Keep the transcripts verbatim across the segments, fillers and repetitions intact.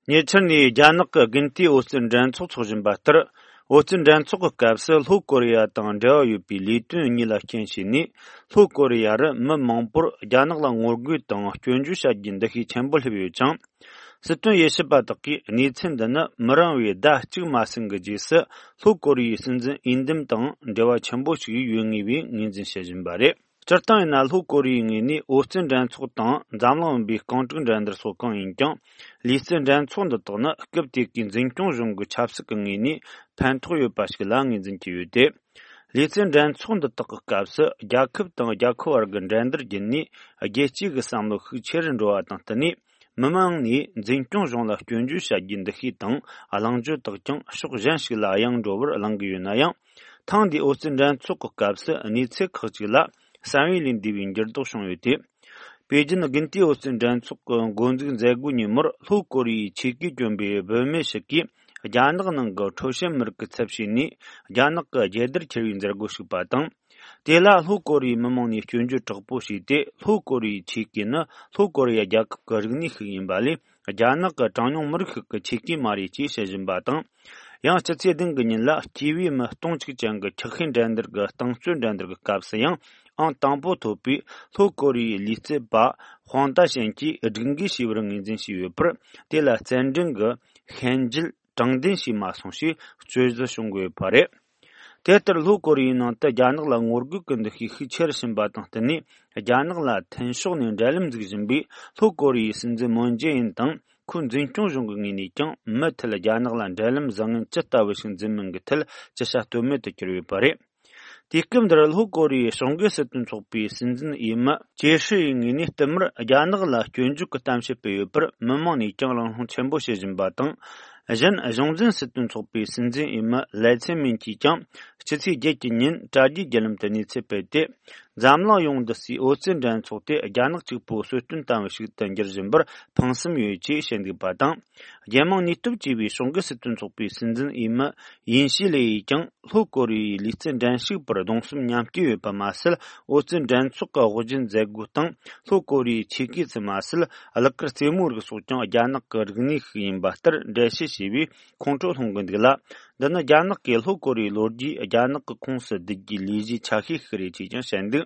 ཉེ་ཆར་ནས་རྒྱ་ནག་གི་དགུན་དུས་ཨོ་རྩལ་འགྲན་ཚོགས་འཚོགས་བཞིན་པ་ལྟར། ཨོ་རྩལ་འགྲན་ཚོགས་ཀྱི་སྐབས་སུ་ལྷོ་ཀོ་རི་ཡ་དང་འབྲེལ་བ་ཡོད་པའི་ལས་དོན་གཉིས་ལ་རྐྱེན་བྱས་ནས། ལྷོ་ཀོ་རི་ཡ་རུ་མི་མང་པོར་རྒྱ་ནག་ལ་ངོ་རྒོལ་དང་སྐྱོན་བརྗོད་བྱ་རྒྱུའི་འདུ་ཤེས་ཆེན་པོ་སླེབས་ཡོད་ཅིང་། སྲིད་དོན་དབྱེ་ཞིབ་པ་དག་གིས་གནས་ཚུལ་འདི་ནི་མི་རིང་བའི་ཟླ་གཅིག་མ་ཟིན་གྱི་རྗེས་སུ། ལྷོ་ཀོ་རི་ཡའི་སྲིད་འཛིན་འོས་འདེམས་དང་འབྲེལ་བ་ཆེན་པོ་ཞིག་ཡོད་ངེས་པའི་ངོས་འཛིན་བྱེད་བཞིན་པ་རེད། སྤྱིར་བཏང་ཡིན་ན། ལྷོ་ཀོ་རི་ཡའི་ངོས་ནས་ཨོ་རྩལ་འགྲན་ཚོགས་དང་འཛམ་གླིང་བུམ་པའི་རྐང་དྲུག་འགྲན་བསྡུར་སོགས་གང་ཡིན་ཀྱང་། ལུས་རྩལ་འགྲན་ཚོགས་འདི་དག་ནི་སྐབས་དེ་གའི་འཛིན་སྐྱོང་གཞུང་གི་ཆབ་སྲིད་ཀྱི་ངོས་ནས་ཕན་ཐོགས་ཡོད་པ་ཞིག་ལ་ངོས་འཛིན་གྱི་ཡོད་དེ། ལུས་རྩལ་འགྲན་ཚོགས་འདི་དག་གི་སྐབས་སུ། རྒྱལ་ཁབ་དང་རྒྱལ་ཁབ་བར་གྱི་འགྲན་བསྡུར་བརྒྱུད་ནས། རྒྱལ་སྤྱིའི་བསམ་བློ་ཤུགས་ཆེ་རུ་འགྲོ་བ་དང་བསྟུན་ནས། མི་མང་ནས་འཛིན་སྐྱོང་གཞུང་ལ་སྐྱོན་བརྗོད་བྱ་རྒྱུའི་འདུ་ཤེས་དང་། གླེང་བརྗོད་དག་ཀྱང་ཕྱོགས་གཞན་ཞིག་ལ་གཡེང་འགྲོ་བར་གླེང་གི་ཡོད་ན་ཡང་། ཐེངས་འདིའི་ཨོ་རྩལ་འགྲན་ཚོགས་ཀྱི་སྐབས་སུ། གནས་ཚུལ་ཁག་ཅིག་ལ་བསམ་ཡུལ་ལས་འདས་པའི་འགྱུར་ལྡོག་བྱུང་ཡོད་དེ། པེ་ཅིན་དགུན་དུས་ཨོ་རྩལ་འགྲན་ཚོགས་ཀྱི་འགོ་འཛུགས་མཛད་སྒོའི་ཉིན་མོར། ལྷོ་ཀོ་རི་ཡའི་ཆེད་གོས་གྱོན་པའི་བུད་མེད་ཞིག་གིས། རྒྱ་ནག་ནང་གི་ཁྲོ་ཤན་མི་རིགས་ཀྱི་ཚབ་བྱས་ནས། རྒྱ་ནག་གི་རྒྱལ་དར་འཁྱེར་བའི་མཛད་སྒོ་ཞུགས་པ་དང་། དེ་ལ་ལྷོ་ཀོ་རི་ཡའི་མི་མང་ནས་སྐྱོན་བརྗོད་དྲག་པོ་བྱས་ཏེ། ལྷོ་ཀོ་རི་ཡའི་ཆེད་གོས་ནི་ལྷོ་ཀོ་རི་ཡ་རྒྱལ་ཁབ་ཀྱི་རིག་གནས་ཤིག་ཡིན་པ་ལས། རྒྱ་ནག་གི་གྲངས་ཉུང་མི་རིགས་ཤིག་གི་ཆེད་གོས་མ་རེད་ཅེས་བཤད་བཞིན་པ་དང་། ཡང་སྤྱི་ཚེས་བདུན་གྱི་ཉིན་ལ། སྐྱེས་པའི་མི་སྟོང་གཅིག་ཅན་གྱི་འཁྱགས་ཤིང་འགྲན་བསྡུར་གྱི་རྟིང་རྩོད་འགྲན་བསྡུར་གྱི་སྐབས་སུ་ཡང་། ཨང་དང་པོ་ཐོབ་པའི་ལྷོ་ཀོ་རི་ཡའི་ལུས་རྩལ་པ་ཧུང་ཏཱ་ཞན་གྱིས་སྒྲིག་འགལ་བྱས་པར་ངོས་འཛིན་བྱས་ཡོད་པར། དེ་ལ་རྩེད་འགྲན་གྱི་ཤན་འབྱེད་དྲང་བདེན་བྱས་མ་སོང་ཞེས་རྩོད་གཞི་བྱུང་དགོས་པ་རེད། དེ་ལྟར། ལྷོ་ཀོ་རི་ཡའི་ནང་དུ་རྒྱ་ནག་ལ་ངོ་རྒོལ་གྱི་འདུ་ཤེས་ཤུགས་ཆེ་རུ་ཕྱིན་པ་དང་བསྟུན་ནས། རྒྱ་ནག་ལ་མཐུན་ཕྱོགས་ནས་འབྲེལ་ལམ་འཛུགས་བཞིན་པའི་ལྷོ་ཀོ་རི་ཡའི་སྲིད་འཛིན་མུན་ཇེ་ཨིན་དང་། ཁོའི་འཛིན་སྐྱོང་གཞུང་གི་ངོས་ནས་ཀྱང་། མུ་མཐུད་རྒྱ་ནག་ལ་འབྲེལ་ལམ་བཟང་ངན་ཇི་ལྟ་བུ་ཞིག་འཛིན་མིན་གྱི་ཐད་ཇི་བྱ་གཏོལ་མེད་དུ་གྱུར་ཡོད་པ་རེད། དུས་སྐབས་འདིར། ལྷོ་ཀོ་རི་ཡའི་ཕྱོགས་འགལ་སྲིད་དོན་ཚོགས་པའི་སྲིད་འཛིན་འོས་མི་ཅེ་ཧྲི་ཡི་ངོས་ནས། བསྟུད་མར་རྒྱ་ནག་ལ་སྐྱོན་བརྗོད་ཀྱི་གཏམ་བཤད་སྤེལ་ཡོད་པར། མི་མང་ནས་ཀྱང་གླེང་སློང་ཆེན་པོ་བྱེད་བཞིན་པ་དང་། གཞན། གཞུང་འཛིན་སྲིད་དོན་ཚོགས་པའི་སྲིད་འཛིན་འོས་མི་ལའེ་ཚེ་མིན་གྱིས་ཀྱང་། ཕྱི་ཚེས་བརྒྱད་ཀྱི་ཉིན་དྲ་རྒྱའི་བརྒྱུད་ལམ་དུ་གནས་ཚུལ་སྤེལ་ཏེ། འཛམ་གླིང་ཡོངས་འདུ་སའི་ཨོ་རྩལ་འགྲན་ཚོགས་དེ་རྒྱ་ནག་གཅིག་པུའི་གསོལ་སྟོན་བཏང་བ་ཞིག་ཏུ་འགྱུར་བཞིན་པར་ཕངས་སེམས་ཡོད་ཅེས་བཤད་འདུག་པ་དང་། རྒྱལ་དམངས་ནུས་སྟོབས་ཅེས་པའི་ཕྱོགས་འགལ་སྲིད་དོན་ཚོགས་པའི་སྲིད་འཛིན་འོས་མི་ཡིན་ཤི་ལེ་ཡིས་ཀྱང་། ལྷོ་ཀོ་རི་ཡའི་ལུས་རྩལ་འགྲན་ཞུགས་པར་གདུང་སེམས་མཉམ་སྐྱེད་ཡོད་པ་མ་ཟད། ཨོ་རྩལ་འགྲན་ཚོགས་ཀྱི་དབུ་འབྱེད་མཛད་སྒོ་སྟེང་ལྷོ་ཀོ་རི་ཡའི་ཆེད་གོས་ཙམ་མ་ཟད། གླུ་གར་རྩེད་མོའི་རིགས་སོགས་ཀྱང་རྒྱ་ནག་གི་རིག་གནས་ཤིག་ཡིན་པ་ལྟར་འགྲེལ་བཤད་བྱས་པས་ཁོང་ཁྲོ་སློང་གི་འདུག་ལ། འདི་ནི་རྒྱ་ནག་གིས་ལྷོ་ཀོ་རི་ཡའི་ལོ་རྒྱུས་རྒྱ་ནག་གི་ཁོངས་སུ་བསྡུ་རྒྱུའི་ལས་གཞིའི་ཆ་ཤས་ཤིག་རེད་ཅེས་ཀྱང་བཤད་འདུག་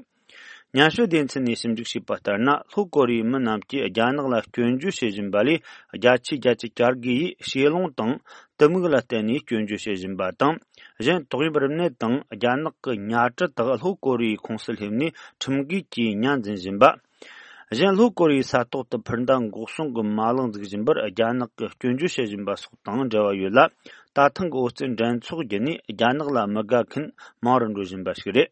སྙན་ཞུ་སྡེ་ཚན་ནས་ཞིབ་འཇུག་བྱས་པ་ལྟར་ན། ལྷོ་ཀོ་རི་ཡའི་མི་རྣམས་ཀྱིས་རྒྱ་ནག་ལ་སྐྱོན་བརྗོད་བྱེད་བཞིན་པ་ལས། རྒྱ་ཆེའི་རྒྱལ་སྤྱི་བཅར་དགོས་ཡིས་ཞེ་ལོང་དང་གཏི་མུག་ལ་བརྟེན་ནས་སྐྱོན་བརྗོད་བྱེད་བཞིན་པ་དང་། གཞན། ཏོག་དབྱིབས་རིམས་ནད་དང་རྒྱ་ནག་གི་ཉ་གྲུ་དག་ལྷོ་ཀོ་རི་ཡའི་ཁོངས་སུ་སླེབས་ནས་ཁྲིམས་འགལ་གྱིས་ཉ་འཛིན་བཞིན་པ། གཞན། ལྷོ་ཀོ་རི་ཡའི་ས་ཐོག་ཏུ་འཕུར་མདའ་འགོག་སྲུང་གི་མ་ལག་འཛུགས་བཞིན་པར་རྒྱ་ནག་གིས་སྐྱོན་བརྗོད་བྱེད་བཞིན་པ་སོགས་དང་འབྲེལ་བ་ཡོད་ལ། ད་ཐེངས་ཀྱི་ཨོ་རྩལ་འགྲན་ཚོགས་བརྒྱུད་ནས་རྒྱ་ནག་ལ་མི་དགའ་མཁན་མང་རུ་འགྲོ་བཞིན་པ་ཞིག་རེད།